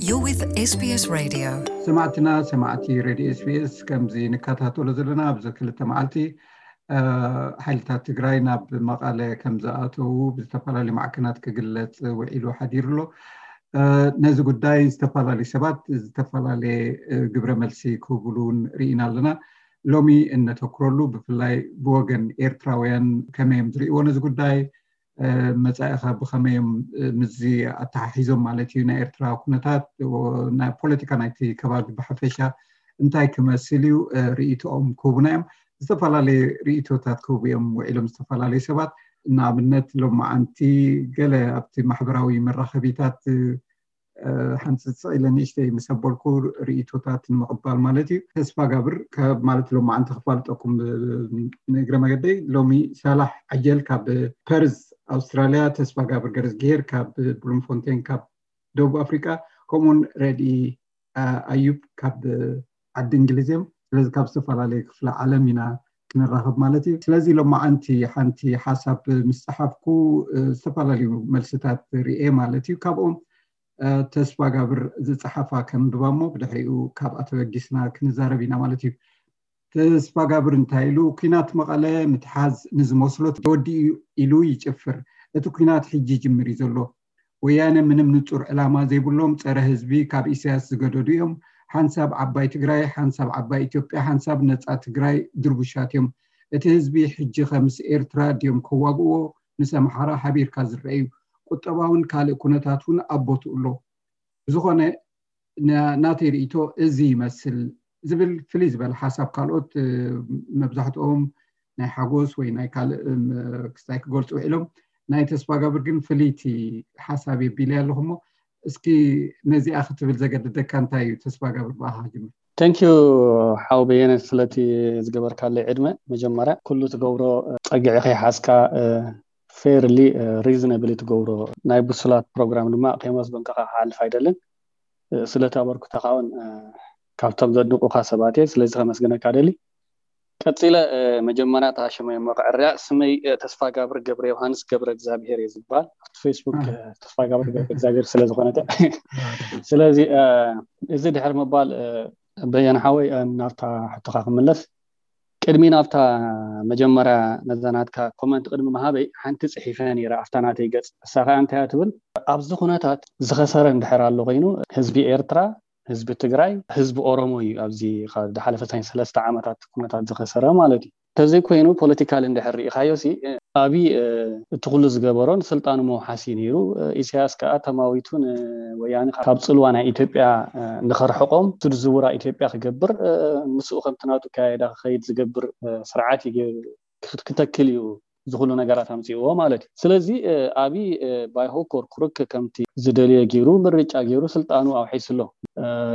You're with SBS Radio. ሰማዕትና ሰማዕቲ ሬድዮ ኤስቢኤስ፣ ከምዚ ንከታተሎ ዘለና ኣብዚ ክልተ መዓልቲ ሓይልታት ትግራይ ናብ መቐለ ከም ዝኣተዉ ብዝተፈላለዩ ማዕከናት ክግለፅ ውዒሉ ሓዲሩ ኣሎ። ነዚ ጉዳይ ዝተፈላለዩ ሰባት ዝተፈላለየ ግብረ መልሲ ክህብሉ እውን ርኢና ኣለና። ሎሚ እነተኩረሉ ብፍላይ ብወገን ኤርትራውያን ከመይ እዮም ዝርእይዎ ነዚ ጉዳይ፣ መጻኢኻ ብኸመይ እዮም ምስዚ ኣተሓሒዞም ማለት እዩ፣ ናይ ኤርትራ ኩነታት፣ ናይ ፖለቲካ ናይቲ ከባቢ ብሓፈሻ እንታይ ክመስል እዩ ርእይቶኦም ክህቡና እዮም። ዝተፈላለየ ርእይቶታት ክህቡ እዮም ውዒሎም ዝተፈላለዩ ሰባት። ንኣብነት ሎማዓንቲ ገለ ኣብቲ ማሕበራዊ መራኸቢታት ሓንፅፅ ኢለ ንእሽተይ ምስ ኣበልኩ ርእይቶታት ንምቕባል ማለት እዩ። ተስፋ ጋብር ካብ ማለት ሎማዓንቲ ክፋልጠኩም ንእግረ መገደይ፣ ሎሚ ሳላሕ ዓጀል ካብ ፐርዝ ኣውስትራልያ፣ ተስፋ ጋብር ገረዝግሄር ካብ ብሉምፎንቴን ካብ ደቡብ ኣፍሪቃ፣ ከምኡውን ረድኢ ኣዩብ ካብ ዓዲ እንግሊዝ እዮም። ስለዚ ካብ ዝተፈላለዩ ክፍለ ዓለም ኢና ክንራኸብ ማለት እዩ። ስለዚ ሎማዓንቲ ሓንቲ ሓሳብ ምስ ጸሓፍኩ ዝተፈላለዩ መልስታት ርኤ ማለት እዩ። ካብኦም ተስፋ ጋብር ዝጸሓፋ ከንብባ እሞ ብድሕሪኡ ካብኣ ተበጊስና ክንዛረብ ኢና ማለት እዩ። ተስፋ ጋብር እንታይ ኢሉ? ኲናት መቐለ ምትሓዝ ንዝመስሎ ተወዲኡ ኢሉ ይጭፍር። እቲ ኲናት ሕጂ ይጅምር እዩ ዘሎ። ወያነ ምንም ንጹር ዕላማ ዘይብሎም ጸረ ህዝቢ ካብ ኢሳያስ ዝገደዱ እዮም። ሓንሳብ ዓባይ ትግራይ፣ ሓንሳብ ዓባይ ኢትዮጵያ፣ ሓንሳብ ነጻ ትግራይ ድርቡሻት እዮም። እቲ ህዝቢ ሕጂ ኸምስ ኤርትራ ድዮም ከዋግእዎ? ምስ ኣምሓራ ሓቢርካ ዝረአ እዩ። ቁጠባውን ካልእ ኩነታት እውን ኣብ ቦትኡ ኣሎ። ብዝኾነ ናተይ ርእይቶ እዚ ይመስል ዝብል ፍልይ ዝበለ ሓሳብ ካልኦት መብዛሕትኦም ናይ ሓጎስ ወይ ናይ ካልእ ክስታይ ክገልፁ ውዒሎም፣ ናይ ተስፋ ጋብር ግን ፍልይቲ ሓሳብ የቢለ ኣለኹ። እሞ እስኪ ነዚኣ ክትብል ዘገድደካ እንታይ እዩ? ተስፋ ጋብር ብኣኻ ክጅምር። ተንኪዩ ሓው በየነ ስለቲ ዝገበርካለይ ዕድመ። መጀመርያ ኩሉ ትገብሮ ፀግዒ ከይሓዝካ ፌርሊ ሪዝነብሊ ትገብሮ ናይ ብሱላት ፕሮግራም ድማ ከይመስገንኩኻ ክሓልፍ ኣይደልን። ስለቲ ኣበርክቶኻ እውን ካብቶም ዘድንቁኻ ሰባት እየ። ስለዚ ከመስግነካ ደሊ። ቀፂለ መጀመርያ እታ ሽመይ እሞ ክዕርያ። ስመይ ተስፋ ጋብር ገብረ ዮሃንስ ገብረ እግዚኣብሄር እየ ዝበሃል። ኣብቲ ፌስቡክ ተስፋ ጋብር ገብረ እግዚኣብሄር ስለዝኾነት፣ ስለዚ እዚ ድሕር ምባል በየነ ሓወይ ናብታ ሕቶኻ ክምለስ ቅድሚ ናብታ መጀመርያ ነዛ ናትካ ኮመንት ቅድሚ ምሃበይ ሓንቲ ጽሒፈ ነይረ ኣብታ ናተይ ገጽ። እሳ ኸኣ እንታይ እያ ትብል? ኣብዚ ኩነታት ዝኸሰረ እንድሕር ኣሎ ኮይኑ ህዝቢ ኤርትራ፣ ህዝቢ ትግራይ፣ ህዝቢ ኦሮሞ እዩ። ኣብዚ ዝሓለፈ ናይ ሰለስተ ዓመታት ኩነታት ዝኸሰረ ማለት እዩ። እንተዘይኮይኑ ፖለቲካል እንድሕር ርኢኻዮ ሲ ኣብይ እቲ ኩሉ ዝገበሮ ንስልጣኑ መውሓሲ ነይሩ። ኢሳያስ ከዓ ተማዊቱ ንወያነ ካብ ፅልዋ ናይ ኢትዮጵያ ንኸርሕቆም፣ ንሱ ዝዝውራ ኢትዮጵያ ክገብር፣ ምስኡ ከምቲ ናቱ ኣካያይዳ ክኸይድ ዝገብር ስርዓት እዩ ክተክል እዩ እዚ ኩሉ ነገራት ኣምፅእዎ ማለት እዩ። ስለዚ ኣብይ ባይሆኮር ኩርክ ከምቲ ዝደልዮ ገይሩ ምርጫ ገይሩ ስልጣኑ ኣውሒሱ ኣሎ።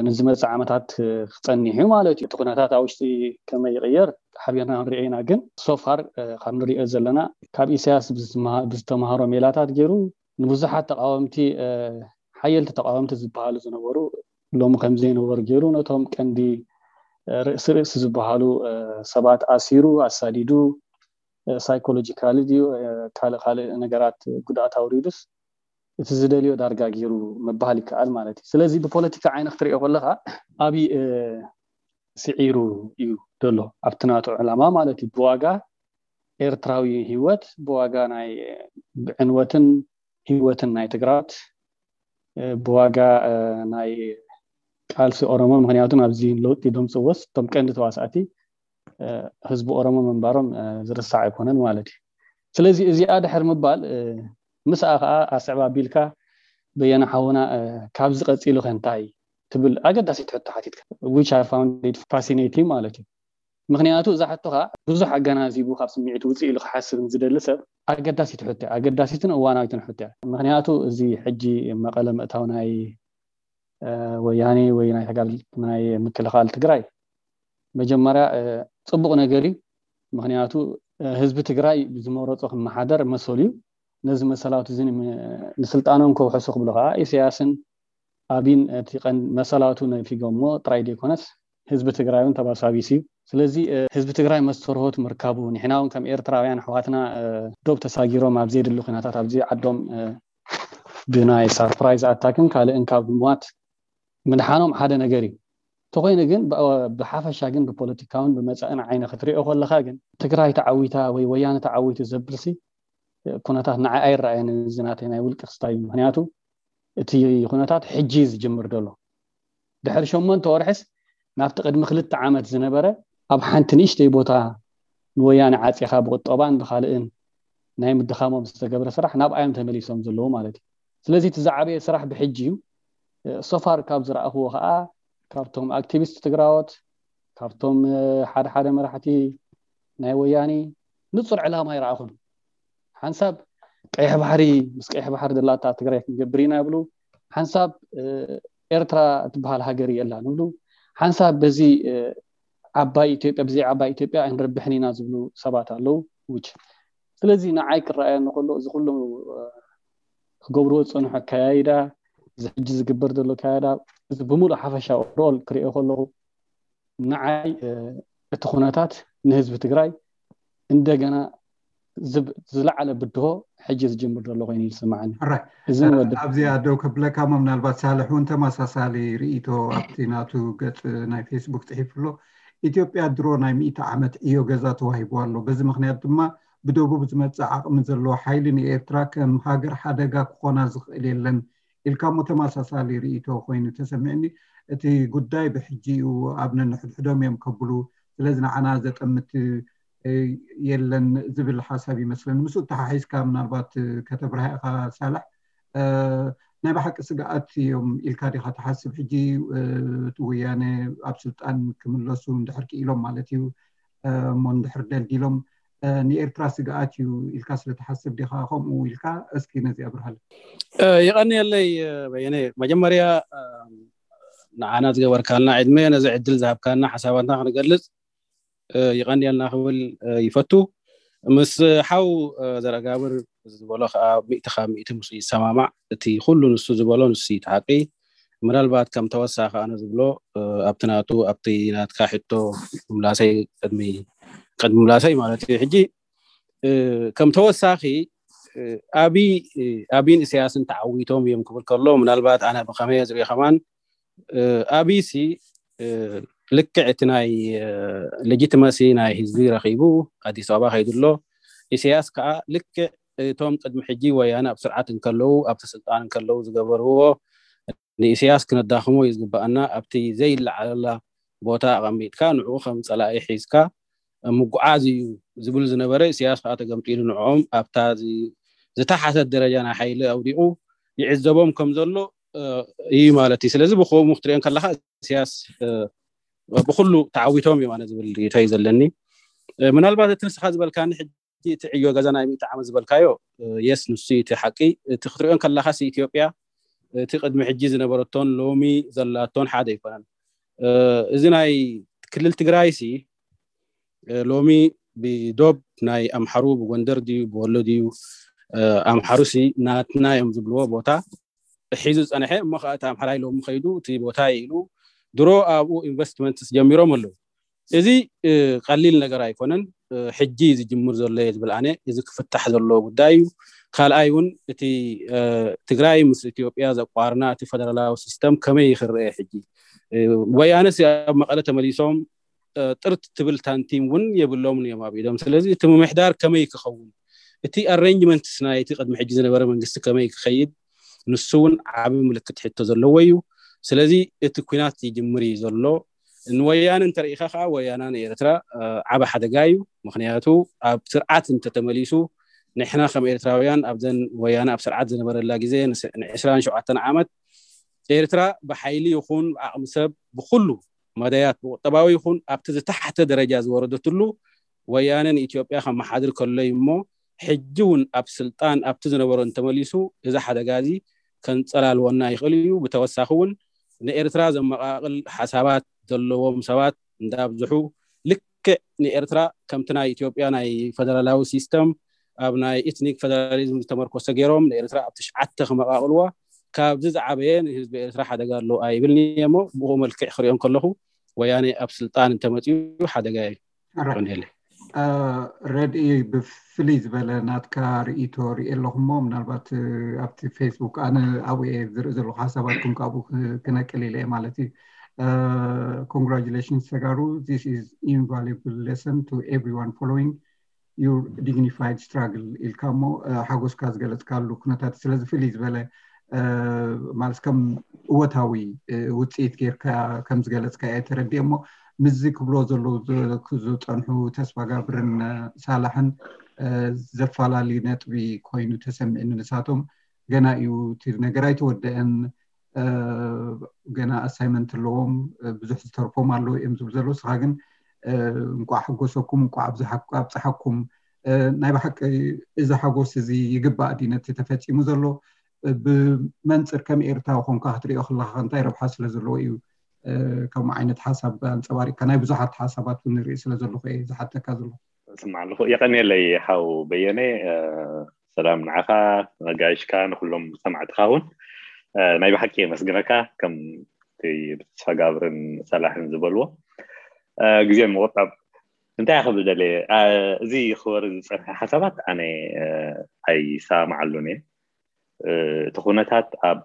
ንዝመፅእ ዓመታት ክፀኒሕ እዩ ማለት እዩ። እቲ ኩነታት ኣብ ውሽጢ ከመይ ይቕየር ሓቢርና ክንሪኦ ኢና። ግን ሶፋር ካብ ንሪኦ ዘለና ካብ ኢሳያስ ብዝተምሃሮ ሜላታት ገይሩ ንብዙሓት ተቃወምቲ ሓየልቲ ተቃወምቲ ዝበሃሉ ዝነበሩ ሎሚ ከምዘይነበሩ ገይሩ ነቶም ቀንዲ ርእሲ ርእሲ ዝበሃሉ ሰባት ኣሲሩ ኣሳዲዱ ሳይኮሎጂካሊ ድዩ ካልእ ካልእ ነገራት ጉድኣት ኣውሪዱስ እቲ ዝደልዮ ዳርጋ ገይሩ ምባል ይከኣል ማለት እዩ። ስለዚ ብፖለቲካ ዓይኒ ክትሪኦ ከለኻ ኣብይ ስዒሩ እዩ ዘሎ ኣብቲ ናቱ ዕላማ ማለት እዩ። ብዋጋ ኤርትራዊ ህይወት፣ ብዋጋ ናይ ዕንወትን ህይወትን ናይ ትግራት፣ ብዋጋ ናይ ቃልሲ ኦሮሞ፣ ምክንያቱ ናብዚ ለውጢ ደምፅዎስ እቶም ቀንዲ ተዋሳእቲ ህዝቢ ኦሮሞ ምንባሮም ዝርሳዕ ኣይኮነን ማለት እዩ። ስለዚ እዚኣ ድሕር ምባል ምስኣ ከዓ ኣስዕብ ኣቢልካ በየነ ሓውና ካብዚ ቀፂሉ ከ እንታይ ትብል ኣገዳሲት ሕቶ ሓቲትካ፣ which I found it fascinating ማለት እዩ። ምክንያቱ እዛ ሕቶ ከዓ ብዙሕ ኣገናዚቡ ካብ ስምዒት ውፅእ ኢሉ ክሓስብ ዝደሊ ሰብ ኣገዳሲት ሕቶ እያ፣ ኣገዳሲትን እዋናዊትን ሕቶ እያ። ምክንያቱ እዚ ሕጂ መቐለ ምእታው ናይ ወያኔ ወይ ናይ ተጋድልቲ ናይ ምክልኻል ትግራይ መጀመርያ ፅቡቕ ነገር እዩ። ምክንያቱ ህዝቢ ትግራይ ብዝመረፆ ክመሓደር መሰሉ እዩ። ነዚ መሰላቱ እዚ ንስልጣኖም ከውሕሱ ክብሉ ከዓ ኢሳያስን ኣብይን እቲ ቀንዲ መሰላቱ ነፊጎሞ ጥራይ ዘይኮነስ ህዝቢ ትግራይ እውን ተባሳቢሱ እዩ። ስለዚ ህዝቢ ትግራይ መስተርሆት ምርካቡ ንሕና እውን ከም ኤርትራውያን ኣሕዋትና ዶብ ተሳጊሮም ኣብ ዘየድሊ ኩነታት ኣብዚ ዓዶም ብናይ ሳርፕራይዝ ኣታክን ካልእን ካብ ምሟት ምድሓኖም ሓደ ነገር እዩ። እንተኾይኑ ግን ብ- ብሓፈሻ ግን ብፖለቲካውን ብመፃእን ዓይነ ክትሪኦ ከለካ ግን ትግራይ ተዓዊታ ወይ ወያነ ተዓዊቱ ዘብልሲ ኩነታት ንዓይ ኣይረኣየን። እዚ ናተይ ናይ ውልቂ ክስታይ እዩ። ምክንያቱ እቲ ኩነታት ሕጂ እዩ ዝጅምር ዘሎ። ድሕሪ ሸሞንተ ወርሕስ ናብቲ ቅድሚ ክልተ ዓመት ዝነበረ ኣብ ሓንቲ ንእሽተይ ቦታ ንወያነ ዓፂኻ ብቁጠባን ብካልእን ናይ ምድኻሞም ዝተገብረ ስራሕ ናብኣዮም ተመሊሶም ዘለዉ ማለት እዩ። ስለዚ እቲ ዝዓበየ ስራሕ ብሕጂ እዩ። ሶፋር ካብ ዝረኣኽዎ ከዓ ካብቶም ኣክቲቪስት ትግራዎት ካብቶም ሓደ ሓደ መራሕቲ ናይ ወያኒ ንፁር ዕላማ ይረኣኹን። ሓንሳብ ቀይሕ ባሕሪ ምስ ቀይሕ ባሕሪ ዘላታ ትግራይ ክንገብር ኢና ይብሉ። ሓንሳብ ኤርትራ እትበሃል ሃገር የላን ይብሉ። ሓንሳብ በዚ ዓባይ ኢትዮጵያ ብዘይ ዓባይ ኢትዮጵያ ኣይንረብሕን ኢና ዝብሉ ሰባት ኣለዉ። ውጭ ስለዚ ንዓይ ክረኣየኒ ከሎ እዚ ኩሉ ክገብርዎ ዝፀንሑ ኣካያይዳ እዚ ሕጂ ዝግበር ዘሎ ኣካያይዳ እዚ ብምሉእ ሓፈሻ ኦቨርኦል ክሪኦ ከለኹ ንዓይ እቲ ኩነታት ንህዝቢ ትግራይ እንደገና ዝብ- ዝለዓለ ብድሆ ሕጂ ዝጅምር ዘሎ ኮይኑ ይስማዓኒ። ሕራይ። እዚ ንወዲ ኣብዚኣ ደው ከብለካ እሞ ምናልባት ሳልሕ እውን ተመሳሳሊ ርእይቶ ኣብቲ ናቱ ገፅ ናይ ፌስቡክ ፅሒፉ ኣሎ። ኢትዮጵያ ድሮ ናይ ሚእቲ ዓመት ዕዮ ገዛ ተዋሂቡ ኣሎ። በዚ ምክንያት ድማ ብደቡብ ዝመፅእ ዓቕሚ ዘለዎ ሓይሊ ንኤርትራ ከም ሃገር ሓደጋ ክኾና ዝኽእል የለን ኢልካ እሞ ተመሳሳሊ ርእይቶ ኮይኑ ተሰሚዕኒ። እቲ ጉዳይ ብሕጂ እዩ ኣብ ነንሕድሕዶም እዮም ከብሉ፣ ስለዚ ንዓና ዘጠምት የለን ዝብል ሓሳብ ይመስለኒ። ምስ ተሓሒዝካ ምናልባት ከተብርሃ ኢኻ ሳላሕ፣ ናይ ብሓቂ ስግኣት እዮም ኢልካ ዲኻ ትሓስብ? ሕጂ እቲ ወያነ ኣብ ስልጣን ክምለሱ እንድሕር ክኢሎም ማለት እዩ እሞ እንድሕር ደልዲሎም ንኤርትራ ስግኣት እዩ ኢልካ ስለትሓስብ ዲኻ ከምኡ ኢልካ? እስኪ ነዚ ኣብርሃለ። ይቐንየለይ በየነ። መጀመርያ ንዓና ዝገበርካልና ዕድመ ነዚ ዕድል ዝሃብካና ሓሳባትና ክንገልጽ ይቐንየልና ክብል ይፈቱ። ምስ ሓው ዘረጋብር ዝበሎ ከዓ ሚእቲ ካብ ሚእቲ ምስ ይሰማማዕ። እቲ ኩሉ ንሱ ዝበሎ ንሱ እቲ ሓቂ። ምናልባት ከም ተወሳኺ ኣነ ዝብሎ ኣብቲ ናቱ ኣብቲ ናትካ ሕቶ ምላሰይ ቅድሚ ቅድሚ ምላሰይ ማለት እዩ። ሕጂ ከም ተወሳኺ ኣብይ ኣብይን ኢሳያስን ተዓዊቶም እዮም ክብል ከሎ ምናልባት ኣነ ብኸመይ ዝሪኦ ከማን ኣብይሲ ልክዕ እቲ ናይ ሌጂቲመሲ ናይ ህዝቢ ረኺቡ ኣዲስ ኣበባ ከይዱ ኣሎ። ኢሳያስ ከዓ ልክዕ እቶም ቅድሚ ሕጂ ወያነ ኣብ ስርዓት እንከለዉ ኣብቲ ስልጣን እንከለዉ ዝገበርዎ ንኢሳያስ ክነዳኽሞ እዩ ዝግባኣና። ኣብቲ ዘይለዓለላ ቦታ ኣቐሚጥካ ንዕኡ ከም ፀላኢ ሒዝካ ምጉዓዝ እዩ ዝብል ዝነበረ ኢሳያስ ከዓ ተገምጢሉ ንዕኦም ኣብታ ዝተሓተት ደረጃ ናይ ሓይሊ ኣውዲቑ ይዕዘቦም ከም ዘሎ እዩ ማለት እዩ። ስለዚ ብከምኡ ክትሪኦ ከለካ ኢሳያስ ብኩሉ ተዓዊቶም እዮም ኣነ ዝብል ርእይቶ እዩ ዘለኒ። ምናልባት እቲ ንስኻ ዝበልካኒ ሕጂ እቲ ዕዮ ገዛ ናይ ሚእቲ ዓመት ዝበልካዮ የስ ንሱ እቲ ሓቂ። እቲ ክትሪኦ ከለካ ኢትዮጵያ እቲ ቅድሚ ሕጂ ዝነበረቶን ሎሚ ዘላቶን ሓደ ኣይኮነን። እዚ ናይ ክልል ትግራይ ሲ ሎሚ ብዶብ ናይ ኣምሓሩ ብጎንደር ድዩ ብወሎ ድዩ ኣምሓሩ ሲ ናትና እዮም ዝብልዎ ቦታ ሒዙ ዝፀንሐ እሞ ከዓ እቲ ኣምሓራይ ሎሚ ከይዱ እቲ ቦታ ኢሉ ድሮ ኣብኡ ኢንቨስትመንት ጀሚሮም ኣለዉ። እዚ ቀሊል ነገር ኣይኮነን። ሕጂ ዝጅምር ዘሎ እየ ዝብል ኣነ እዚ ክፍታሕ ዘለዎ ጉዳይ እዩ። ካልኣይ እውን እቲ ትግራይ ምስ ኢትዮጵያ ዘቋርና እቲ ፈደራላዊ ሲስተም ከመይ ይክረአ ሕጂ ወያነስ ኣብ መቐለ ተመሊሶም ጥርት ትብል ታንቲም እውን የብሎምን እዮም ኣብ ኢዶም። ስለዚ እቲ ምምሕዳር ከመይ ክኸውን እቲ ኣሬንጅመንትስ ናይ እቲ ቅድሚ ሕጂ ዝነበረ መንግስቲ ከመይ ክኸይድ ንሱ እውን ዓቢ ምልክት ሕቶ ዘለዎ እዩ። ስለዚ እቲ ኩናት ይጅምር እዩ ዘሎ። ንወያነ እንተርኢኻ ከዓ ወያና ንኤርትራ ዓቢ ሓደጋ እዩ። ምክንያቱ ኣብ ስርዓት እንተተመሊሱ ንሕና ከም ኤርትራውያን ኣብዘን ወያነ ኣብ ስርዓት ዝነበረላ ግዜ ንዕስራን ሸውዓተን ዓመት ኤርትራ ብሓይሊ ይኹን ብዓቕሚ ሰብ ብኩሉ መዳያት ብቁጠባዊ ይኹን ኣብቲ ዝተሓተ ደረጃ ዝወረደትሉ ወያነ ንኢትዮጵያ ከመሓድር ከሎ እዩ እሞ ሕጂ እውን ኣብ ስልጣን ኣብቲ ዝነበሮ እንተመሊሱ እዚ ሓደጋ እዚ ከንፀላልወና ይኽእል እዩ። ብተወሳኺ እውን ንኤርትራ ዘመቓቕል ሓሳባት ዘለዎም ሰባት እንዳብዝሑ ልክዕ ንኤርትራ ከምቲ ናይ ኢትዮጵያ ናይ ፈደራላዊ ሲስተም ኣብ ናይ ኤትኒክ ፈደራሊዝም ዝተመርኮሰ ገይሮም ንኤርትራ ኣብ ትሽዓተ ክመቓቕልዋ ካብዚ ዝዓበየ ንህዝቢ ኤርትራ ሓደጋ ኣለዎ ኣይብልኒ እየ እሞ ብኡ መልክዕ ክሪኦም ከለኹ ወያነ ኣብ ስልጣን እንተመፅኡ ሓደጋ እዩ። ቀንየለይ። ረድኢ፣ ብፍልይ ዝበለ ናትካ ርእይቶ ርኢ ኣለኹ እሞ ምናልባት ኣብቲ ፌስቡክ ኣነ ኣብኡ እየ ዝርኢ ዘለኹ ሓሳባትኩም ካብኡ ክነቅል ኢለ እየ ማለት እዩ። Congratulations ተጋሩ, this is invaluable lesson to everyone following your dignified struggle ኢልካ እሞ ሓጎስካ ዝገለፅካሉ ኩነታት ስለዚ ፍልይ ዝበለ ማለት ከም እወታዊ ውፅኢት ጌርካ ከም ዝገለፅካ እየ ተረዲኤ እሞ ምስዚ ክብሎ ዘለዉ ዝፀንሑ ተስፋ ጋብርን ሳላሕን ዘፋላሊ ነጥቢ ኮይኑ ተሰሚዕኒ። ንሳቶም ገና እዩ እቲ ነገር ኣይተወደአን፣ ገና ኣሳይመንት ኣለዎም፣ ብዙሕ ዝተርፎም ኣለዉ እዮም ዝብሉ ዘለዉ። ንስኻ ግን እንቋዕ ሓጎሰኩም፣ እንቋዕ ኣብፀሓኩም። ናይ ብሓቂ እዚ ሓጎስ እዚ ይግባእ ድዩ ነቲ ተፈፂሙ ዘሎ? ብመንፅር ከም ኤርትራዊ ኮንካ ክትሪኦ ከለካ እንታይ ረብሓ ስለ ዘለዎ እዩ ከምኡ ዓይነት ሓሳብ ኣንፀባሪቅካ? ናይ ብዙሓት ሓሳባት እውን ንርኢ ስለ ዘለኹ እየ ዝሓተካ ዘለኹ። ስማዕ ኣለኹ። የቐንየለይ ሓው በየነ። ሰላም ንዓኻ፣ ነጋይሽካ፣ ንኩሎም ሰማዕትኻ እውን ናይ ብሓቂ የመስግነካ። ከም ብተስፋ ጋብርን ሰላሕን ዝበልዎ ግዜ ንምቁጣብ እንታይ ክብል ደልየ፣ እዚ ክወርድ ዝፀንሐ ሓሳባት ኣነ ኣይሰማማዓሉን እየ። እቲ ኩነታት ኣብ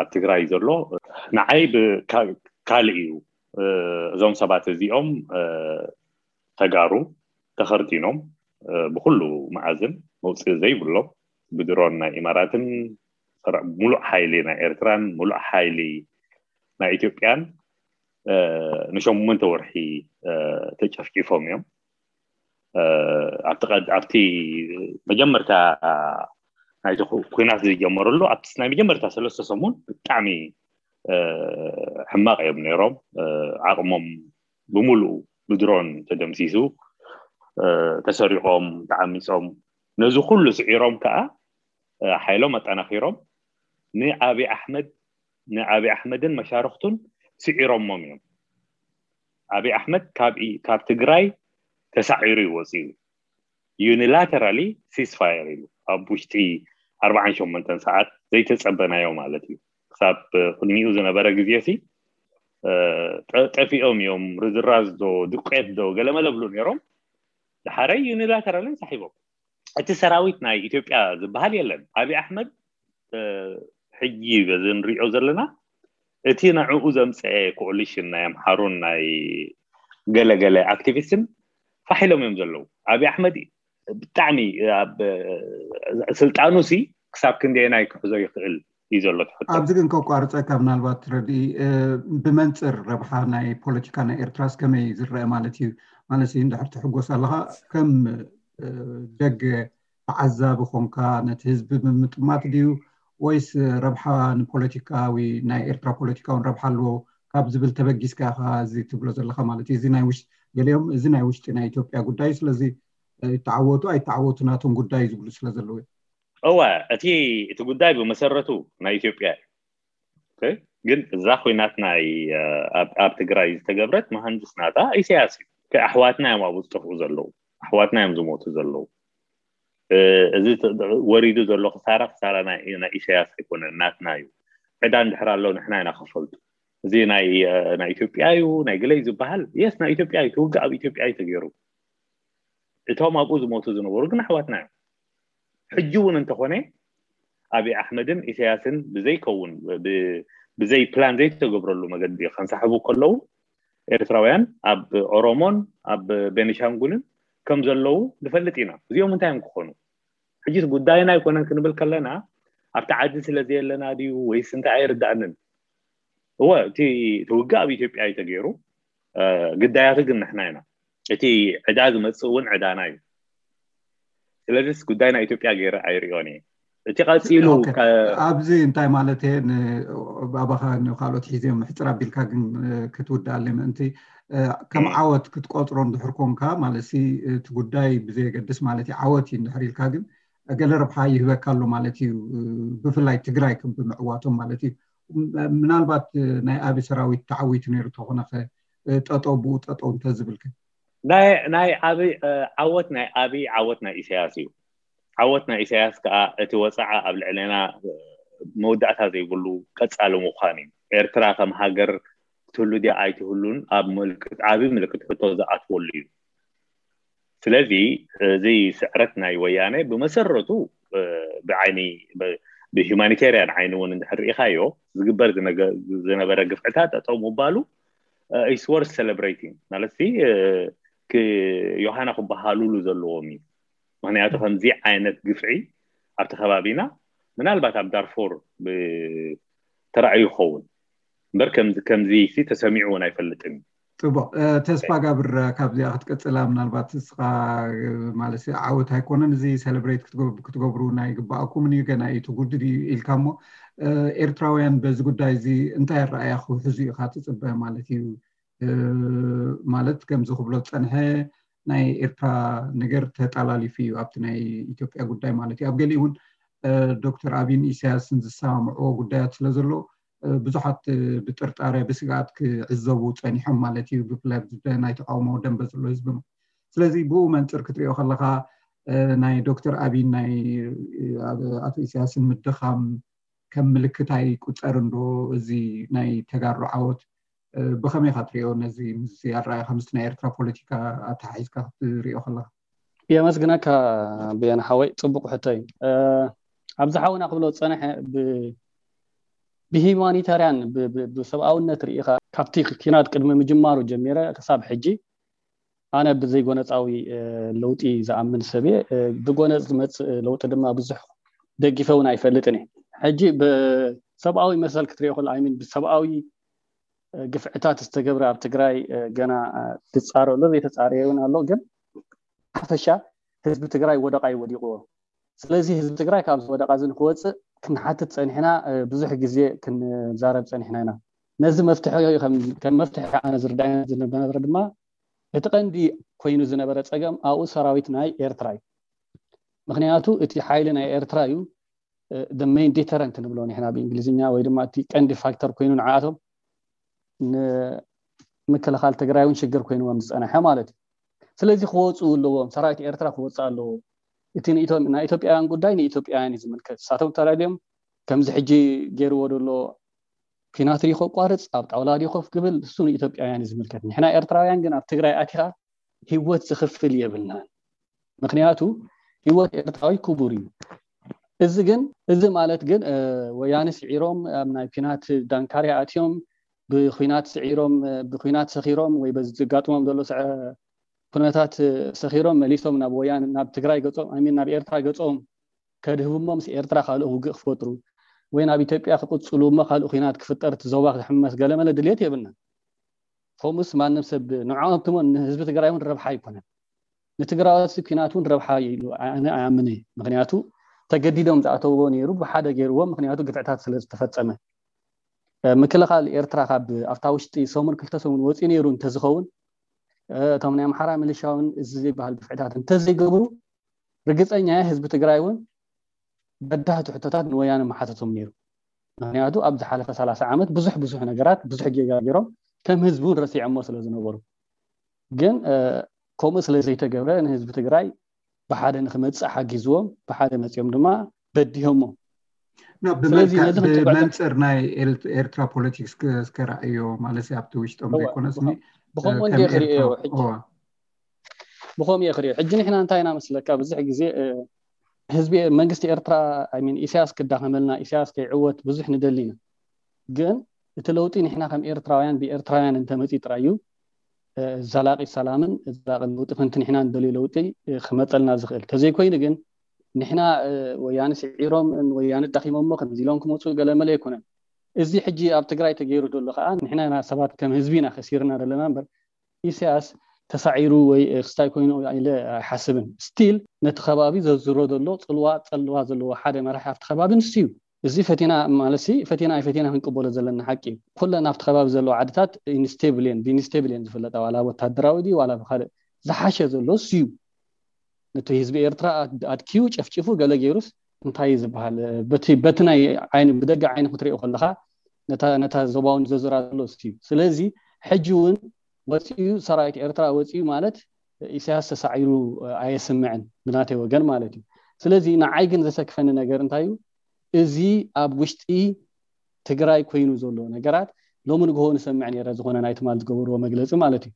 ኣብ ትግራይ ዘሎ ንዓይ ካልእ እዩ። እዞም ሰባት እዚኦም ተጋሩ ተኸርቲኖም ብኩሉ መኣዝን መውፅኢ ዘይብሎም ብድሮን ናይ ኢማራትን ሙሉእ ሓይሊ ናይ ኤርትራን ሙሉእ ሓይሊ ናይ ኢትዮጵያን ንሸሞንተ ወርሒ ተጨፍጪፎም እዮም። ኣብቲ መጀመርታ ናይቲ ኩናት ዝጀመረሉ ኣብቲ ናይ መጀመርታ ሰለስተ ሰሙን ብጣዕሚ ሕማቕ እዮም ነይሮም። ዓቕሞም ብምሉኡ ብድሮን ተደምሲሱ፣ ተሰሪቖም፣ ተዓሚፆም። ነዚ ኩሉ ስዒሮም ከዓ ሓይሎም ኣጠናኺሮም ንኣብይ ኣሕመድ ንኣብይ ኣሕመድን መሻርክቱን ስዒሮሞም እዮም። ኣብይ ኣሕመድ ካብ ትግራይ ተሳዒሩ እዩ ወፂኡ። ዩኒላተራሊ ሲስፋየር ኢሉ ኣብ ውሽጢ ኣርባዓን ሸሞንተን ሰዓት ዘይተፀበናዮ ማለት እዩ። ክሳብ ቅድሚኡ ዝነበረ ግዜ ሲ ጠፊኦም እዮም። ርዝራዝ ዶ ድቄት ዶ ገለመለ ብሉ ነይሮም። ድሓረይ ዩኒላተራሊ ሳሒቦም። እቲ ሰራዊት ናይ ኢትዮጵያ ዝበሃል የለን። ኣብይ ኣሕመድ ሕጂ በዚ ንሪኦ ዘለና እቲ ንዕኡ ዘምፀአ ኮኦሊሽን ናይ ኣምሓሩን ናይ ገለገለ ኣክቲቪስትን ፋሕ ኢሎም እዮም ዘለዉ። ኣብይ ኣሕመድ ብጣዕሚ ኣብ ስልጣኑ ሲ ክሳብ ክንደየናይ ክሕዞ ይኽእል እዩ ዘሎ ትሕቶ። ኣብዚ ግን ከቋርፀካ ምናልባት ረድኢ ብመንፅር ረብሓ ናይ ፖለቲካ ናይ ኤርትራስ ከመይ ዝረአ ማለት እዩ? ማለት እንድሕር ትሕጎስ ኣለኻ ከም ደገ ተዓዛቢ ኮንካ ነቲ ህዝቢ ብምጥማት ድዩ ወይስ ረብሓ ንፖለቲካዊ ናይ ኤርትራ ፖለቲካውን ረብሓ ኣለዎ ካብ ዝብል ተበጊስካ ኢኻ እዚ ትብሎ ዘለኻ ማለት እዩ? እዚ ናይ ውሽጢ ገሊኦም እዚ ናይ ውሽጢ ናይ ኢትዮጵያ ጉዳይ ስለዚ ይተዓወቱ ኣይተዓወቱ ናቶም ጉዳይ ዝብሉ ስለ ዘለዉ እዮም። እወ፣ እቲ እቲ ጉዳይ ብመሰረቱ ናይ ኢትዮጵያ እዩ። ግን እዛ ኩናት ናይ ኣብ ትግራይ ዝተገብረት መሃንድስ ናታ ኢሳያስ እዩ። ኣሕዋትና እዮም ኣብኡ ዝጠፍኡ ዘለዉ፣ ኣሕዋትና እዮም ዝሞቱ ዘለዉ። እዚ ወሪዱ ዘሎ ክሳራ ክሳራ ናይ ኢሳያስ ኣይኮነን፣ ናትና እዩ። ዕዳ እንድሕር ኣሎ ንሕና ኢና ከፈልቱ። እዚ ናይ ኢትዮጵያ እዩ ናይ ግለይ ዝበሃል የስ ናይ ኢትዮጵያ እዩ። ትውግእ ኣብ ኢትዮጵያ እዩ ተገይሩ። እቶም ኣብኡ ዝሞቱ ዝነበሩ ግን ኣሕዋትና እዮም። ሕጂ እውን እንተኾነ ኣብይ ኣሕመድን ኢሳያስን ብዘይከውን ብዘይ ፕላን ዘይተገብረሉ መገዲ ከንሳሕቡ ከለዉ ኤርትራውያን ኣብ ኦሮሞን ኣብ ቤኒሻንጉልን ከም ዘለዉ ንፈልጥ ኢና። እዚኦም እንታይ እዮም ክኾኑ? ሕጂ ጉዳይና ኣይኮነን ክንብል ከለና ኣብቲ ዓዲ ስለ ዘየለና ድዩ ወይስ እንታይ ኣይርዳእንን። እወ እቲ ውግእ ኣብ ኢትዮጵያ እዩ ተገይሩ። ግዳያቱ ግን ንሕና ኢና። እቲ ዕዳ ዝመፅእ እውን ዕዳና እዩ። ስለዚስ ጉዳይ ናይ ኢትዮጵያ ገይረ ኣይሪኦን እየ። እቲ ቀፂሉ ኣብዚ እንታይ ማለት እየ ኣባኻ ንካልኦት ሒዘ ምሕፅር ኣቢልካ ግን ክትውድኣለይ ምእንቲ ከም ዓወት ክትቆፅሮ እንድሕር ኮንካ ማለት እቲ ጉዳይ ብዘየገድስ ማለት እዩ ዓወት እዩ እንድሕር ኢልካ ግን ገለ ረብሓ ይህበካ ኣሎ ማለት እዩ። ብፍላይ ትግራይ ብምዕዋቶም ማለት እዩ። ምናልባት ናይ ኣብይ ሰራዊት ተዓዊቱ ነይሩ ተኾነ ጠጠው ብኡ ጠጠው እንተዝብልከ? ናይ ኣብይ ዓወት ናይ ኣብይ ዓወት ናይ ኢሳያስ እዩ። ዓወት ናይ ኢሳያስ ከዓ እቲ ወፅዓ ኣብ ልዕሌና መወዳእታ ዘይብሉ ቀፃሊ ምዃን እዩ። ኤርትራ ከም ሃገር ትህሉ ድያ ኣይትህሉን ኣብ ምልክት ዓብዪ ምልክት ሕቶ ዝኣትወሉ እዩ። ስለዚ እዚ ስዕረት ናይ ወያነ ብመሰረቱ ብዓይኒ ብሂማኒቴርያን ዓይኒ እውን እንድሕር ርኢኻዮ ዝግበር ዝነበረ ግፍዕታት ጠጠው ምባሉ is worth celebrating ማለት ዮሃና ክበሃሉሉ ዘለዎም እዩ። ምክንያቱ ከምዚ ዓይነት ግፍዒ ኣብቲ ከባቢና ምናልባት ኣብ ዳርፎር ተራእዩ ይኸውን እምበር ከምዚ ተሰሚዑ እውን ኣይፈልጥን እዩ። ፅቡቅ ተስፋ ጋብር ካብዚኣ ክትቀፅላ ምናልባት እስኻ ማለት ዓወት ኣይኮነን እዚ celebrate ክትገብሩ ናይ ግባኣኩም እዩ ገና እዩ ትጉድድ እዩ ኢልካ እሞ ኤርትራውያን በዚ ጉዳይ እዚ እንታይ ኣረኣያ ክውሕዙ ኢኻ ትፅበ ማለት እዩ? ማለት ከምዚ ክብሎ ዝፀንሐ ናይ ኤርትራ ነገር ተጣላሊፉ እዩ ኣብቲ ናይ ኢትዮጵያ ጉዳይ ማለት እዩ። ኣብ ገሊኡ እውን ዶክተር ኣቢን ኢሳያስን ዝሰማምዕዎ ጉዳያት ስለ ዘሎ ብዙሓት ብጥርጣረ ብስግኣት ክዕዘቡ ፀኒሖም ማለት እዩ። ብፍላይ ናይ ተቃውሞ ደንበ ዘሎ ህዝቢ ስለዚ ብኡ መንፅር ክትሪኦ ከለካ ናይ ዶክተር ኣቢን ናይ ኣቶ ኢሳያስን ምድኻም ከም ምልክት ኣይቁፀርን ዶ? እዚ ናይ ተጋሩ ዓወት ብኸመይ ኢኻ ትሪኦ? ነዚ ምስ ኣረኣያ ከምስቲ ናይ ኤርትራ ፖለቲካ ኣተሓሒዝካ ክትሪኦ ከለካ የመስግነካ ብየን ሓወይ፣ ፅቡቅ ሕቶ እዩ። ኣብዚ ሓውና ክብሎ ዝፀንሐ ብሂማኒታርያን ብሰብኣውነት ርኢኻ ካብቲ ኪናት ቅድሚ ምጅማሩ ጀሚረ ክሳብ ሕጂ ኣነ ብዘይጎነፃዊ ለውጢ ዝኣምን ሰብ እየ። ብጎነፅ ዝመፅእ ለውጢ ድማ ብዙሕ ደጊፈ እውን ኣይፈልጥን እየ። ሕጂ ብሰብኣዊ መሰል ክትሪኦ ከሎ ኣይሚን ብሰብኣዊ ግፍዕታት ዝተገብረ ኣብ ትግራይ ገና ዝፃረ ኣሎ ዘይተፃረየ እውን ኣሎ። ግን ሓፈሻ ህዝቢ ትግራይ ወደቃ እዩ ወዲቅዎ። ስለዚ ህዝቢ ትግራይ ካብዚ ወደቃ እዚ ንክወፅእ ክንሓትት ፀኒሕና፣ ብዙሕ ግዜ ክንዛረብ ፀኒሕና ኢና። ነዚ መፍትሒ ከም መፍትሒ ኣነ ዝርዳእ ዝነበረ ድማ እቲ ቀንዲ ኮይኑ ዝነበረ ፀገም ኣብኡ ሰራዊት ናይ ኤርትራ እዩ። ምክንያቱ እቲ ሓይሊ ናይ ኤርትራ እዩ main deterrent ንብሎ ንሕና ብእንግሊዝኛ ወይ ድማ እቲ ቀንዲ ፋክተር ኮይኑ ንዓኣቶም ንምክልኻል ትግራይ እውን ሽግር ኮይንዎም ዝፀነሐ ማለት እዩ። ስለዚ ክወፁ ኣለዎም፣ ሰራዊት ኤርትራ ክወፅእ ኣለዎ። እቲ ናይ ኢትዮጵያውያን ጉዳይ ንኢትዮጵያውያን እዩ ዝምልከት። ንሳቶም ተላልዮም ከምዚ ሕጂ ገይርዎ ዘሎ ኪናት ድዩ ከቋርፅ ኣብ ጣውላ ድዩ ኮፍ ክብል እሱ ንኢትዮጵያውያን እዩ ዝምልከት። ንሕና ኤርትራውያን ግን ኣብ ትግራይ ኣቲኻ ህይወት ዝኽፍል የብልናን። ምክንያቱ ህይወት ኤርትራዊ ክቡር እዩ። እዚ ግን እዚ ማለት ግን ወያነ ስዒሮም ኣብ ናይ ኪናት ዳንካርያ ኣትዮም ብኩናት ስዒሮም ብኩናት ሰኺሮም ወይ በዚ ዝጋጥሞም ዘሎ ኩነታት ሰኺሮም መሊሶም ናብ ወያነ ናብ ትግራይ ገጾም ኣይ ሚን ናብ ኤርትራ ገጾም ከድህቡ እሞ ምስ ኤርትራ ካልእ ውግእ ክፈጥሩ ወይ ናብ ኢትዮጵያ ክቕጽሉ እሞ ካልእ ኩናት ክፍጠር እቲ ዞባ ክትሕመስ ገለመለ ድልየት የብልናን። ከምኡስ ማንም ሰብ ንዕኦም ትሞ ንህዝቢ ትግራይ እውን ረብሓ ኣይኮነን። ንትግራዎት ኩናት እውን ረብሓ ኢሉ ኣነ ኣያምን እየ። ምክንያቱ ተገዲዶም ዝኣተውዎ ነይሩ ብሓደ ገይርዎ ምክንያቱ ግፍዕታት ስለ ዝተፈጸመ። ምክልኻል ኤርትራ ካብ ኣብታ ውሽጢ ሰሙን ክልተ ሰሙን ወፂኡ ነይሩ እንተዝኸውን እቶም ናይ ኣምሓራ ሚሊሻ እውን እዚ ዘይበሃል ግፍዕታት እንተዘይገብሩ ርግፀኛ ህዝቢ ትግራይ እውን በዳህቲ ሕቶታት ንወያነ መሓተቶም ነይሩ። ምክንያቱ ኣብ ዝሓለፈ ሰላሳ ዓመት ብዙሕ ብዙሕ ነገራት ብዙሕ ጌጋ ገይሮም ከም ህዝቢ እውን ረሲዖሞ ስለ ዝነበሩ ግን ከምኡ ስለ ዘይተገብረ ንህዝቢ ትግራይ ብሓደ ንክመፅእ ሓጊዝዎም ብሓደ መፂኦም ድማ በዲሆሞ። ብመንፅር ናይ ኤርትራ ፖለቲክስ እስከ ረኣዮ ማለት ኣብቲ ውሽጦም ዘይኮነስኒ ብከምኡ እንደ ክርእዮ ብኸምኡ እየ ክርእዮ። ሕጂ ንሕና እንታይ ኢና መስለካ ብዙሕ ግዜ ህዝቢ መንግስቲ ኤርትራ ሚን ኢሳያስ ክዳኸመልና ኢሳያስ ከይዕወት ብዙሕ ንደሊ ኢና። ግን እቲ ለውጢ ንሕና ከም ኤርትራውያን ብኤርትራውያን እንተመፂ ጥራይ እዩ ዘላቂ ሰላምን ዘላቂ ለውጢ ከምቲ ንሕና ንደልዮ ለውጢ ክመፀልና ዝኽእል። ተዘይኮይኑ ግን ንሕና ወያነ ስዒሮም ወያነ ዳኺሞሞ ከምዚ ኢሎም ክመፁ ገለመለ ኣይኮነን። እዚ ሕጂ ኣብ ትግራይ ተገይሩ ዘሎ ከዓ ንሕና ኢና ሰባት ከም ህዝቢ ኢና ከሲርና ዘለና እምበር ኢሳያስ ተሳዒሩ ወይ ክስታይ ኮይኑ ኢለ ኣይሓስብን። ስቲል ነቲ ከባቢ ዘዝሮ ዘሎ ፅልዋ ፀልዋ ዘለዎ ሓደ መራሒ ኣብቲ ከባቢ ንሱ እዩ። እዚ ፈቲና ማለት ፈቲና ኣይፈቲና ክንቅበሎ ዘለና ሓቂ እዩ። ኩለን ኣብቲ ከባቢ ዘለዎ ዓድታት ኢንስቴብል እየን ብኢንስቴብል እየን ዝፍለጣ ዋላ ወታደራዊ ድዩ ዋላ ብካልእ ዝሓሸ ዘሎ እሱ እዩ። ነቲ ህዝቢ ኤርትራ ኣድኪዩ ጨፍጭፉ ገለ ገይሩስ እንታይ እዩ ዝበሃል? በቲ ናይ ዓይኒ ብደገ ዓይኒ ክትሪኦ ከለካ ነታ ዞባውን ዘዝራ ዘሎ እዩ። ስለዚ ሕጂ እውን ወፂኡ ሰራዊት ኤርትራ ወፂኡ ማለት ኢሳያስ ተሳዒሩ ኣየስምዕን ብናተይ ወገን ማለት እዩ። ስለዚ ንዓይ ግን ዘሰክፈኒ ነገር እንታይ እዩ? እዚ ኣብ ውሽጢ ትግራይ ኮይኑ ዘሎ ነገራት ሎሚ ንግሆ ንሰምዕ ነረ ዝኾነ ናይ ትማል ዝገበርዎ መግለፂ ማለት እዩ።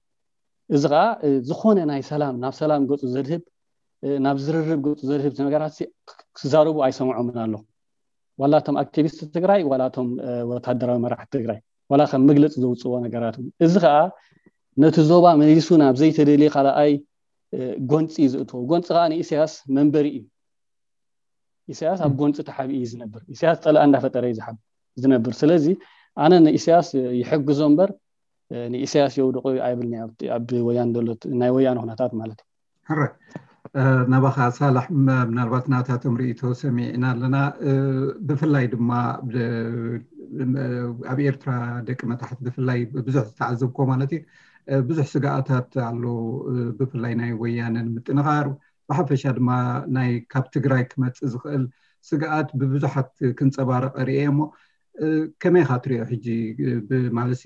እዚ ከዓ ዝኾነ ናይ ሰላም ናብ ሰላም ገፁ ዘድህብ ናብ ዝርርብ ገፁ ዘድህብ ነገራት ክዛረቡ ኣይሰምዖምን ኣለኹ። ዋላ እቶም ኣክቲቪስት ትግራይ ዋላ እቶም ወታደራዊ መራሕቲ ትግራይ ዋላ ከም መግለፂ ዘውፅዎ ነገራት እውን። እዚ ከዓ ነቲ ዞባ መሊሱ ናብ ዘይተደልየ ካልኣይ ጎንፂ እዩ ዘእትዎ። ጎንፂ ከዓ ንኢሳያስ መንበሪ እዩ። ኢሳያስ ኣብ ጎንፂ ተሓቢኡ እዩ ዝነብር። ኢሳያስ ፀላእ እንዳፈጠረ እዩ ዝሓብ ዝነብር። ስለዚ ኣነ ንኢሳያስ ይሕግዞ እምበር ንኢሳያስ የውድቆ ኣይብልኒ። ኣብ ወያን ዘሎ ናይ ወያን ኩነታት ማለት እዩ። ሕረ ናባኻ ሳላሕ፣ ምናልባት ናታቶም ርእቶ ሰሚዕና ኣለና። ብፍላይ ድማ ኣብ ኤርትራ ደቂ መታሕት ብፍላይ ብዙሕ ዝተዓዘብኮ ማለት እዩ ብዙሕ ስጋኣታት ኣሎ። ብፍላይ ናይ ወያነን ምጥንኻር ብሓፈሻ ድማ ናይ ካብ ትግራይ ክመፅእ ዝኽእል ስግኣት ብብዙሓት ክንፀባረቐ ርእየ እሞ ከመይ ኢኻ ትሪኦ ሕጂ? ብማለሲ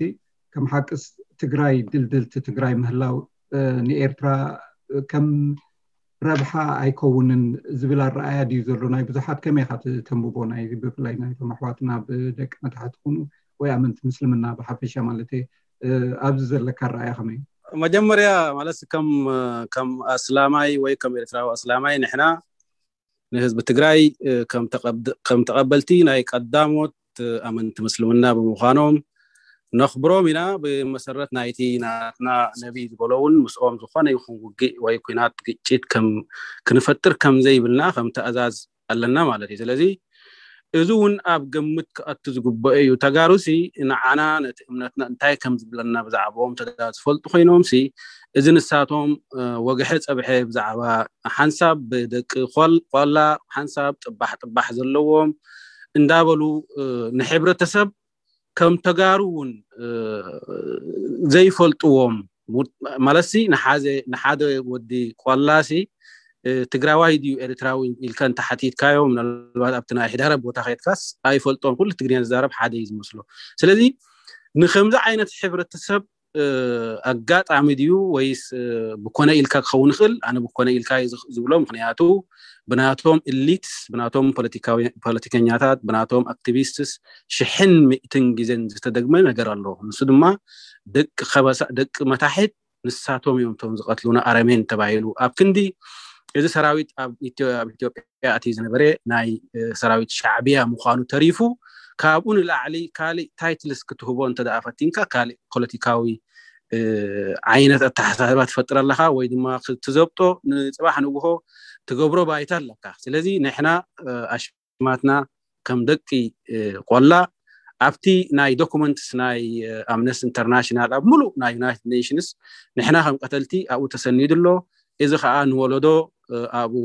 ከም ሓቅስ ትግራይ ድልድልቲ ትግራይ ምህላው ንኤርትራ ከም ረብሓ ኣይከውንን ዝብል ኣረኣያ ድዩ ዘሎ ናይ ብዙሓት? ከመይ ኢኻ ተንብቦ ናይ ብፍላይ ናይቶም ኣሕዋትና ብደቂ መታሕት ትኹኑ ወይ ኣመንቲ ምስልምና ብሓፈሻ ማለት ኣብዚ ዘለካ ኣረኣያ ከመይ? መጀመርያ ማለት ከም ከም ኣስላማይ ወይ ከም ኤርትራዊ ኣስላማይ ንሕና ንህዝቢ ትግራይ ከም ተቐበልቲ ናይ ቀዳሞት ኣመንቲ ምስልምና ብምዃኖም ነኽብሮም ኢና። ብመሰረት ናይቲ ናትና ነቢይ ዝበሎ እውን ምስኦም ዝኾነ ይኹን ውግእ ወይ ኩናት ግጭት ክንፈጥር ከም ዘይብልና ከም ትእዛዝ ኣለና ማለት እዩ። ስለዚ እዚ እውን ኣብ ግምት ክኣቱ ዝግበኦ እዩ። ተጋሩሲ ንዓና ነቲ እምነትና እንታይ ከም ዝብለና ብዛዕባኦም ተጋሩ ዝፈልጡ ኮይኖምሲ እዚ ንሳቶም ወግሐ ፀብሐ ብዛዕባ ሓንሳብ ብደቂ ቆላ ሓንሳብ ጥባሕ ጥባሕ ዘለዎም እንዳበሉ ንሕብረተሰብ ከም ተጋሩ እውን ዘይፈልጥዎም ማለትሲ ንሓደ ወዲ ቆላሲ ትግራዋይ ድዩ ኤርትራዊ ኢልካ እንተሓቲትካዮ ምናልባት ኣብቲ ናይ ሕዳረ ቦታ ከድካስ ኣይፈልጦም ኩሉ ትግርኛ ዝዛረብ ሓደ እዩ ዝመስሎ። ስለዚ ንከምዚ ዓይነት ሕብረተሰብ ኣጋጣሚ ድዩ ወይስ ብኮነ ኢልካ ክኸውን ይኽእል? ኣነ ብኮነ ኢልካ ዝብሎ ምክንያቱ ብናቶም ኢሊትስ ብናቶም ፖለቲከኛታት ብናቶም ኣክቲቪስትስ ሽሕን ሚእትን ግዜን ዝተደግመ ነገር ኣሎ። ንሱ ድማ ደቂ ከበሳ ደቂ መታሕት ንሳቶም እዮም እቶም ዝቐትሉና ኣረሜን ተባሂሉ ኣብ ክንዲ እዚ ሰራዊት ኣብ ኢትዮጵያ ኣትዩ ዝነበረ ናይ ሰራዊት ሻዕብያ ምዃኑ ተሪፉ ካብኡ ንላዕሊ ካልእ ታይትልስ ክትህቦ እንተደኣ ፈቲንካ ካልእ ፖለቲካዊ ዓይነት ኣተሓሳስባ ትፈጥር ኣለካ ወይ ድማ ክትዘብጦ ንፅባሕ ንግሆ ትገብሮ ባይታ ኣለካ። ስለዚ ንሕና ኣሽማትና ከም ደቂ ቆላ ኣብቲ ናይ ዶኩመንትስ ናይ ኣምነስቲ ኢንተርናሽናል ኣብ ሙሉእ ናይ ዩናይትድ ኔሽንስ ንሕና ከም ቀተልቲ ኣብኡ ተሰኒዱ ኣሎ። እዚ ከዓ ንወለዶ ኣብኡ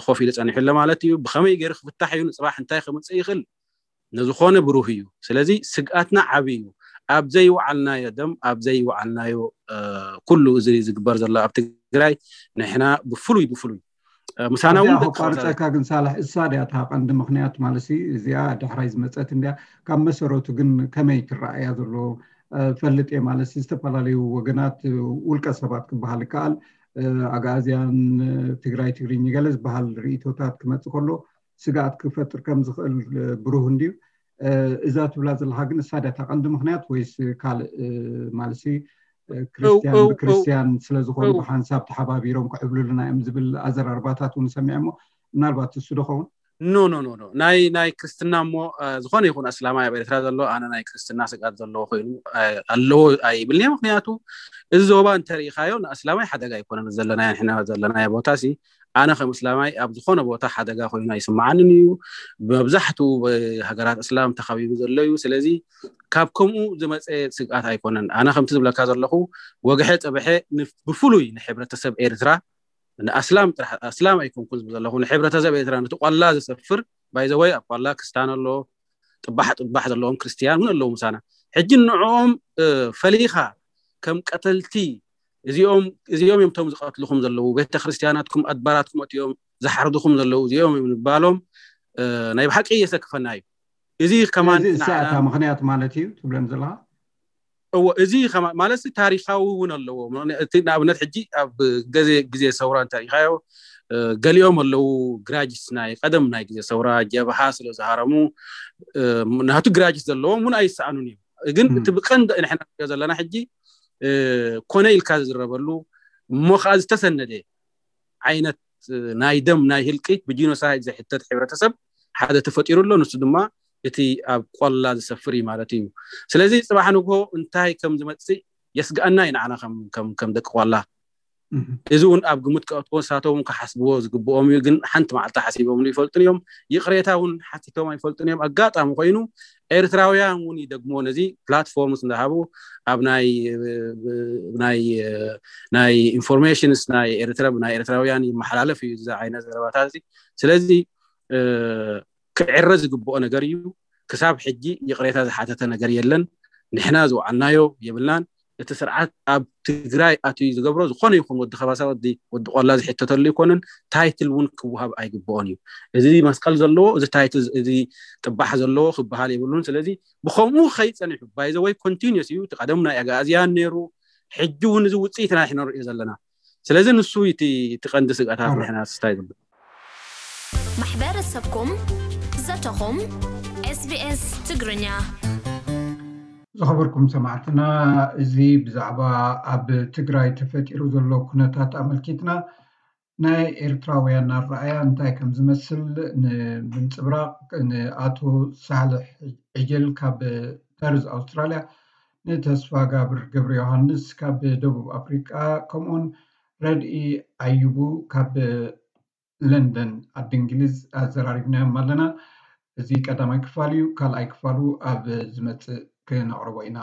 ኮፍ ኢሉ ፀኒሑ ኣሎ ማለት እዩ። ብከመይ ገይሩ ክፍታሕ እዩ ንፅባሕ እንታይ ከምፅእ ይኽእል ንዝኾነ ብሩህ እዩ። ስለዚ ስግኣትና ዓብይ እዩ። ኣብ ዘይወዓልናዮ ደም ኣብ ዘይወዓልናዮ ኩሉ እዚ ዝግበር ዘሎ ኣብ ትግራይ ንሕና ብፍሉይ ብፍሉይ ምሳና እውን ቋርፀካ ግን ሳልሕ እሳ ድያ እታ ቀንዲ ምክንያት ማለት እዚኣ ዳሕራይ ዝመፀት እንድያ። ካብ መሰረቱ ግን ከመይ ትረኣያ ዘሎ ፈልጥ እየ ማለት ዝተፈላለዩ ወገናት ውልቀ ሰባት ክበሃል ይከኣል ኣግኣዝያን ትግራይ ትግርኝ ገለ ዝበሃል ርእቶታት ክመፅእ ከሎ ስግኣት ክፈጥር ከም ዝኽእል ብሩህ እንድዩ። እዛ ትብላ ዘለካ ግን እሳ ድያ እታ ቀንዲ ምክንያት ወይስ ካልእ ማለትሲ ክርስትያን ብክርስትያን ስለዝኾኑ ብሓንሳብ ተሓባቢሮም ክዕብልሉና እዮም ዝብል ኣዘራርባታት እውን ሰሚዐ እሞ ምናልባት እሱ ዶ ኸውን? ኖ ኖ ኖ ኖ ናይ ናይ ክርስትና እሞ ዝኾነ ይኹን ኣስላማይ ኣብ ኤርትራ ዘሎ ኣነ ናይ ክርስትና ስግኣት ዘለዎ ኮይኑ ኣለዎ ኣይብልኒ። ምክንያቱ እዚ ዞባ እንተሪኢኻዮ ንኣስላማይ ሓደጋ ኣይኮነን ዘለናዮ ንሕና ዘለናዮ ቦታ ሲ ኣነ ከም እስላማይ ኣብ ዝኾነ ቦታ ሓደጋ ኮይኑ ኣይስምዓንን እዩ። መብዛሕትኡ ሃገራት እስላም ተኸቢቡ ዘሎ እዩ። ስለዚ ካብ ከምኡ ዝመፀ ስግኣት ኣይኮነን። ኣነ ከምቲ ዝብለካ ዘለኹ ወግሐ ፀብሐ ብፍሉይ ንሕብረተሰብ ኤርትራ ንኣስላም ጥራሕ ኣስላም ኣይኮንኩ ዝብል ዘለኹ ንሕብረተሰብ ኤርትራ ነቲ ቋላ ዝሰፍር ባይዘወይ ኣብ ቋላ ክስታን ኣሎ ጥባሕ ጥባሕ ዘለዎም ክርስትያን እውን ኣለዉ ምሳና። ሕጂ ንዕኦም ፈሊኻ ከም ቀተልቲ እዚኦም እዮም ቶም ዝቐትልኹም ዘለዉ ቤተክርስትያናትኩም ኣድባራትኩም እዮም ዝሓርድኹም ዘለዉ እዚኦም እዮም ንባሎም ናይ ብሓቂ እየሰክፈና እዩ። እዚ ከማን እሳታ ምክንያት ማለት እዩ ትብለን ዘለካ? እዎ እዚ ማለት ታሪካዊ እውን ኣለዎ። እቲ ንኣብነት ሕጂ ኣብ ግዜ ሰውራ እንተሪኢኻዮ ገሊኦም ኣለዉ ግራጅስ ናይ ቀደም ናይ ግዜ ሰውራ ጀብሃ ስለ ዝሃረሙ ናቱ ግራጅስ ዘለዎም እውን ኣይሰኣኑን እዮም። ግን እቲ ብቀንዲ ንሕና ዘለና ሕጂ ኮነ ኢልካ ዝዝረበሉ እሞ ከዓ ዝተሰነደ ዓይነት ናይ ደም ናይ ህልቂት ብጂኖሳይድ ዝሕተት ሕብረተሰብ ሓደ ተፈጢሩ ኣሎ። ንሱ ድማ እቲ ኣብ ቆላ ዝሰፍር እዩ ማለት እዩ። ስለዚ ፅባሕ ንግሆ እንታይ ከም ዝመፅእ የስግኣና እዩ ንዓና ከም ደቂ ቆላ። እዚ እውን ኣብ ግምት ከእትዎ ንሳቶም ክሓስብዎ ዝግብኦም እዩ። ግን ሓንቲ መዓልቲ ሓሲቦምሉ ይፈልጡን እዮም። ይቕሬታ እውን ሓቲቶም ኣይፈልጡን እዮም። ኣጋጣሚ ኮይኑ ኤርትራውያን እውን ይደግምዎ ነዚ ፕላትፎርምስ እንዳሃቡ ኣብ ናይ ኢንፎርሜሽንስ ናይ ኤርትራ ናይ ኤርትራውያን ይመሓላለፍ እዩ እዚ ዓይነት ዘረባታት እዚ። ስለዚ ክዕረ ዝግብኦ ነገር እዩ። ክሳብ ሕጂ ይቕሬታ ዝሓተተ ነገር የለን። ንሕና ዝወዓልናዮ የብልናን። እቲ ስርዓት ኣብ ትግራይ ኣትዩ ዝገብሮ ዝኾነ ይኹን ወዲ ከባሳ ወዲ ቆላ ዝሕተተሉ ኣይኮነን። ታይትል እውን ክወሃብ ኣይግብኦን እዩ። እዚ መስቀል ዘለዎ እዚ ታይትል እዚ ጥባሕ ዘለዎ ክበሃል የብሉን። ስለዚ ብከምኡ ከይፀኒሑ ባይዘወይ ኮንቲኒስ እዩ። እቲ ቀደም ናይ ኣጋእዝያን ነይሩ። ሕጂ እውን እዚ ውፅኢት ናይ ንሪኦ ዘለና። ስለዚ ንሱ እቲ ቀንዲ ስግኣታት ንሕና ስታይ ዝብል ማሕበረሰብኩም ዘተኹም SBS ትግርኛ። ዝኸበርኩም ሰማዕትና፣ እዚ ብዛዕባ ኣብ ትግራይ ተፈጢሩ ዘሎ ኩነታት ኣመልኪትና ናይ ኤርትራውያን ኣረኣያ እንታይ ከም ዝመስል ንምንፅብራቕ ንኣቶ ሳልሕ ዕጀል ካብ ፐርዝ ኣውስትራልያ፣ ንተስፋ ጋብር ገብረ ዮሃንስ ካብ ደቡብ ኣፍሪቃ፣ ከምኡውን ረድኢ ኣዩቡ ካብ ለንደን ዓዲ እንግሊዝ ኣዘራሪብናዮም ኣለና። እዚ ቀዳማይ ክፋል እዩ። ካልኣይ ክፋሉ ኣብ ዝመፅእ ክነቕርቦ ኢና።